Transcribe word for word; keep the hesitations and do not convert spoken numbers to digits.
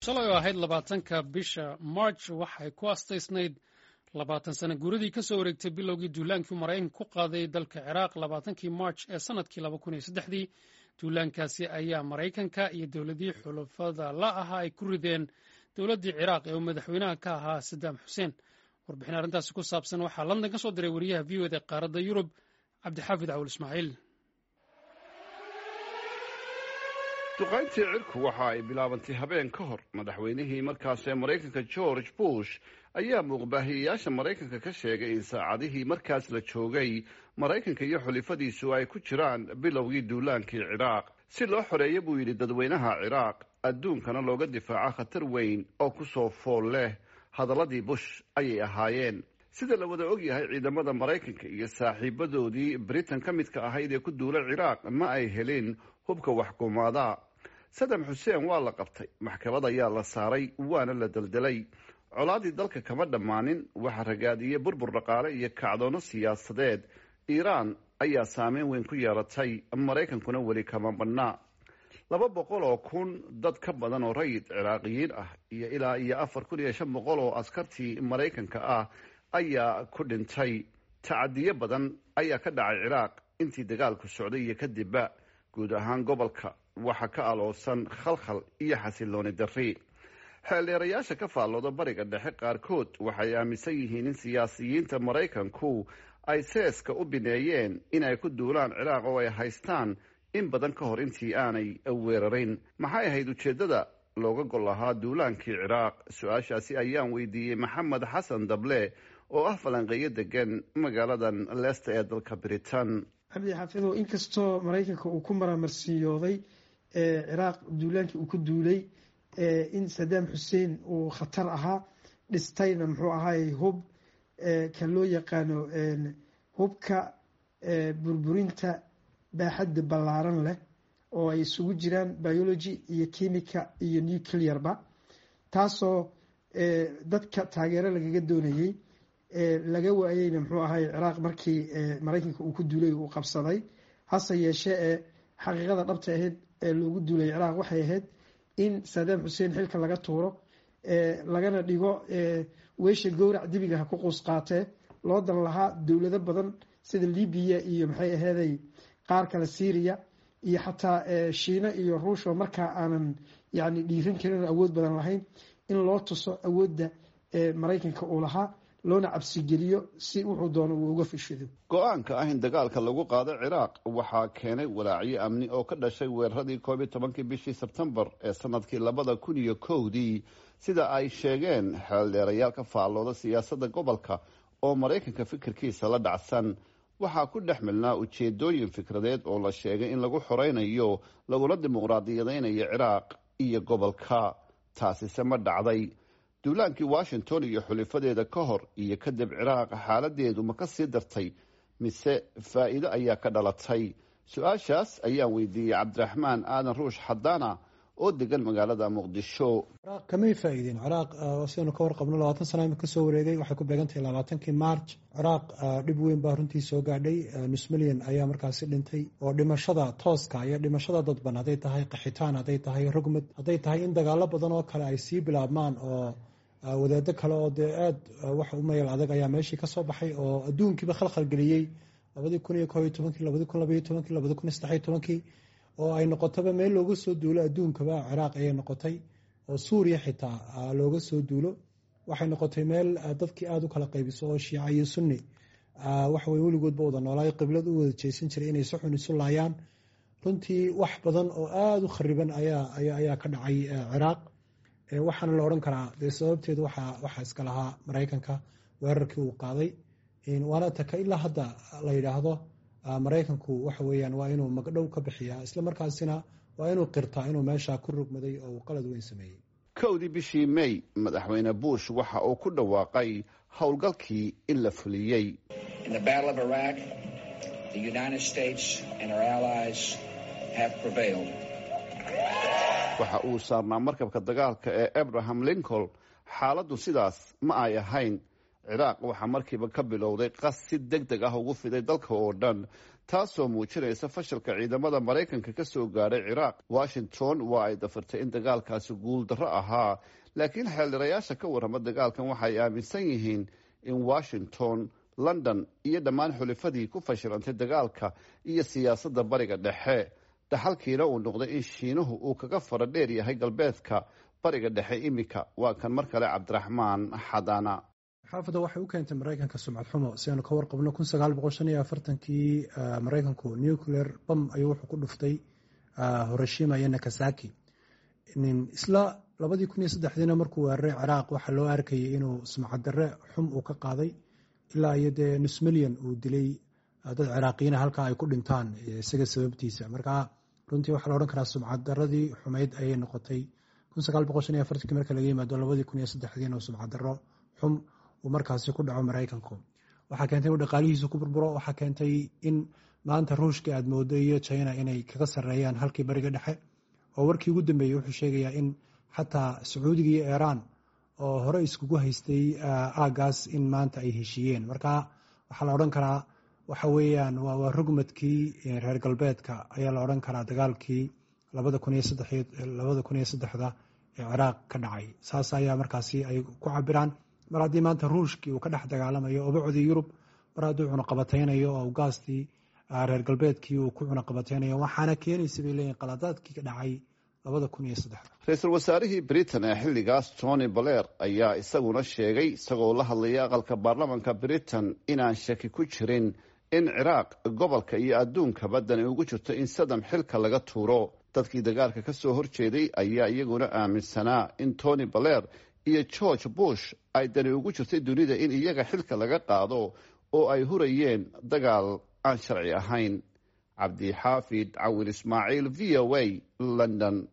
Shalay oo ahayd labaatanka bisha March waxay ku astaysnayd labaatan sana guuradii ka soo wareegtay bilowgii duulaankii Maraykanka ku qaaday dalka Ciraaq labaatankii March ee sanadkii laba kun iyo saddexdii. Duulaankaasi ayaa Maraykanka iyo dowladii xulafada la ahaa ay ku rideen dowladdii Ciraaq ee uu madaxweynaha ka ahaa Sadaam Xuseen. Warbixin arrintaasi ku saabsan waxaa London ka soo diray wariyaha V O A da qaaradda Yurub, Cabdixaafid Cawul Ismaaciil. Duqayntii cirku waxa ay bilaabantay habeen ka hor. Madaxweynihii markaas ee Maraykanka, George Bush, ayaa muuqbaahiyeyaasha Maraykanka ka sheegay in saacadihii markaas la joogay Maraykanka iyo xulifadiisu ay ku jiraan bilowgii duulaankii Ciraaq, si loo xoreeyo, buu yidhi, dadweynaha Ciraaq, adduunkana looga difaaco khatar weyn oo ku soo fool leh. Hadalladii Bush ayay ahaayeen. Sida la wada ogyahay, ciidamada Maraykanka iyo saaxiibadoodii Britain ka midka ahayd ee ku duula Ciraaq ma ay helin hubka waxkumaada. Sadam Xuseen waa la qabtay, maxkamad ayaa la saaray, waana la deldelay. Colaadii dalka kama dhammaanin. Waxaa ragaadiyey burbur dhaqaale iyo kacdoono siyaasadeed. Iiraan ayaa saameyn weyn ku yeelatay, Maraykankuna weli kama badnaa. Laba boqol oo kun dad ka badan oo rayid Ciraaqiyiin ah iyo ilaa iyo afar kun iyo shan boqol oo askartii Maraykanka ah ayaa ku dhintay. Tacadiyo badan ayaa ka dhacay Ciraaq intii dagaalku socday iyo kadibba. Guud ahaan gobolka waxaa ka aloosan khalkhal iyo xasilooni darri. Xeeldheerayaasha ka faallooda Bariga Dhexe qaarkood waxay aaminsan yihiin in siyaasiyiinta Maraykanku ay seeska u bineeyeen in ay ku duulaan Ciraaq oo ay haystaan in badan ka hor intii aanay weerarin. Maxay ahayd ujeeddada looga gol lahaa duulaankii Ciraaq? Su-aashaasi ayaan weydiiyey Maxamed Xasan Dable oo ah falanqeeyo degan magaaladan Leicester ee dalka Britain. Cabdi Xaafidow, inkastoo Maraykanka uu ku maraamarsiiyooday Ciraaq duulaankii uu ku duulay in Sadaam Xuseen uu khatar ahaa, dhistayna muxuu ahaay hub ka loo yaqaano hubka burburinta baaxadda ballaaran leh oo ay isugu jiraan biology iyo chemical iyo nuclearba, taasoo dadka taageero lagaga doonayey, laga waayeyna muxuu ahaay Ciraaq markii Maraykanka uu ku duulay uu qabsaday. Hase yeeshee ee xaqiiqada dhabta ahayd ee loogu duulay Ciraaq waxay ahayd in Sadaam Xuseen xilka laga tuuro, lagana dhigo weesha gowrac dibiga ha ku quus qaatee. Loo dan lahaa dowlado badan sida Libiya iyo maxay aheeday qaar kale, Syria iyo xataa Shiina iyo Ruush oo markaa aanan yani dhiiran karin oo awood badan lahayn, in loo tuso awoodda Maraykanka uu lahaa, loona cabsigeliyo si wuxuu doono uu uga fishido. Go-aanka ah in dagaalka lagu qaado Ciraaq waxaa keenay walaacyo amni oo ka dhashay weeraradii koob iyo tobankii bishii Sebtembar ee sanadkii labada kun iyo kowdii, sida ay sheegeen xeeldheerayaal ka faallooda siyaasadda gobolka oo Maraykanka fikirkiisa la dhacsan. Waxaa ku dhex milnaa ujeedooyin fikradeed oo la sheegay in lagu xoreynayo laguna dimuqraadiyadeynayo Ciraaq iyo gobolka. Taasise ma dhacday? Duulaankii Washington iyo xulifadeeda ka hor iyo kadib Ciraaq xaaladeedu ma ka sii dartay mise faa'iido ayaa ka dhalatay? Su-aashaas ayaan weydiiyey Cabdiraxmaan Aadan Ruush Xadaana oo degan magaalada Muqdisho. Ciraaq kamay faa'iideen. Ciraaq, sidaynu ka warqabno, labaatan sana imika kasoo wareegay, waxay ku beegantahay labaatankii March. Ciraaq dhib weyn baa runtii soo gaadhay. Nus milyan ayaa markaasi dhintay oo dhimashada tooska iyo dhimashada dadban hadday tahay, qaxitaan hadday tahay, rogmad hadday tahay, in dagaalo badan oo kale ay sii bilaabmaan oo wadaado kale oo dee aada wax u mayal adag ayaa meeshii kasoo baxay oo adduunkiiba khalkhal geliyey labadii kun iyo koob iyo tobankii, labadii kun labaiyo tobankii, labadi kun iyo saddexiyo tobankii, oo ay noqotaba meel looga soo duulo adduunkaba. Ciraaq ayay noqotay oo Suuriya xitaa looga soo duulo. Waxay noqotay meel dadkii aada u kala qaybiso oo Shiica iyo Sunni waxawey weligoodba wada noolaayo, qiblad u wada jeesan jiray, inay si xun isu laayaan. Runtii wax badan oo aada u khariban ayaa ayaa ka dhacay Ciraaq. Waxaana la odhan karaa dee sababteedu waxaa waxaa iska lahaa Maraykanka weerarkii uu qaaday. Waana taka ilaa hadda la yidhaahdo Maraykanku waxa weeyaan waa inuu magdhow ka bixiyaa, isla markaasina waa inuu qirtaa inuu meesha ku rogmaday oo uu qalad weyn sameeyey. Kowdii bishii May madaxweyne Bush waxa uu ku dhawaaqay howlgalkii in la fuliyey. In the Battle of Iraq, the United States and our allies have prevailed. Waxa uu saarnaa markabka dagaalka ee Abraham Lincoln. Xaaladdu sidaas ma ay ahayn. Ciraaq waxaa markiiba ka bilowday qas si deg deg ah ugu fiday dalka oo dhan, taasoo muujinaysa fashalka ciidamada Maraykanka ka soo gaadhay Ciraaq. Washington waa ay dafirtay in dagaalkaasi guul darro ahaa, laakiin xeeldheerayaasha ka warrama dagaalkan waxay aaminsan yihiin in Washington, London iyo dhammaan xulifadii ku fashilantay dagaalka iyo siyaasadda Bariga Dhexe, dhaxalkiina uu noqday in Shiinuhu uu kaga fara dheer yahay galbeedka Bariga Dhexe iminka. Waa kan mar kale Cabdiraxmaan Xadaana. Xaafadda waxay u keentay Maraykanka sumcad xumo. Si aanu ka warqabno, kun sagaal boqol shan iyo afartankii Maraykanku nuclear bam ayuu wuxuu ku dhuftay Hiroshima iyo Nakasaki. Isla labadii kun iyo saddexdiina markuu weeraray Ciraaq, waxaa loo arkayay inuu sumcad darre xum uu ka qaaday, ilaa iyo dee nus milyan uu dilay dad Ciraaqiyiina halkaa ay ku dhintaan isaga sababtiisa. Marka runtii waxaa la odhan karaa sumcad darradii xumayd ayay noqotay kun sagaal boqol shan iyo afartankii marka laga yimaado labadii kun iyo saddexdiina oo sumcad darro xum uu markaasi ku dhaco Maraykanku. Waxaa keentay inuu dhaqaalihiisu ku burburo. Waxaa keentay in maanta Ruushka aad moodo iyo China inay kaga sarreeyaan halkii Bariga Dhexe, oo warkii ugu dambeeyey wuxuu sheegayaa in xataa Sacuudiga iyo Iiraan oo hore iskugu haystay aagaas in maanta ay heshiiyeen. Marka waxaa la odhan karaa waxa weeyaan waa rugmadkii reer galbeedka ayaa la odhan karaa dagaalkii labada kun iyo saddex labada kun iyo saddexda ee Ciraaq ka dhacay. Saas ayaa markaasi ay ku cabiraan, mar haddii maanta Ruushkii uu ka dhex dagaalamayo obocdii Yurub, mar hadduu cunaqabataynayo oo gaastii reer galbeedkii uu ku cunaqabataynayo, waxaana keenaysa bay leeyihin qaladaadkii ka dhacay labada kun iyo saddexda. Ra-iisul wasaarihii Britain ee xilligaas, Tony Blair, ayaa isaguna sheegay, isagoo la hadlaya aqalka baarlamanka Britain, inaan shaki ku jirin in Ciraaq, gobolka iyo adduunkaba dani ugu jirto in Sadam xilka laga tuuro. Dadkii dagaalka ka soo horjeeday ayaa iyaguna aaminsanaa in Tony Blair iyo George Bush ay dani ugu jirtay dunida in iyaga xilka laga qaado, oo ay hurayeen dagaal aan sharci ahayn. Cabdixaafid Cawil Ismaaciil, V O A, London.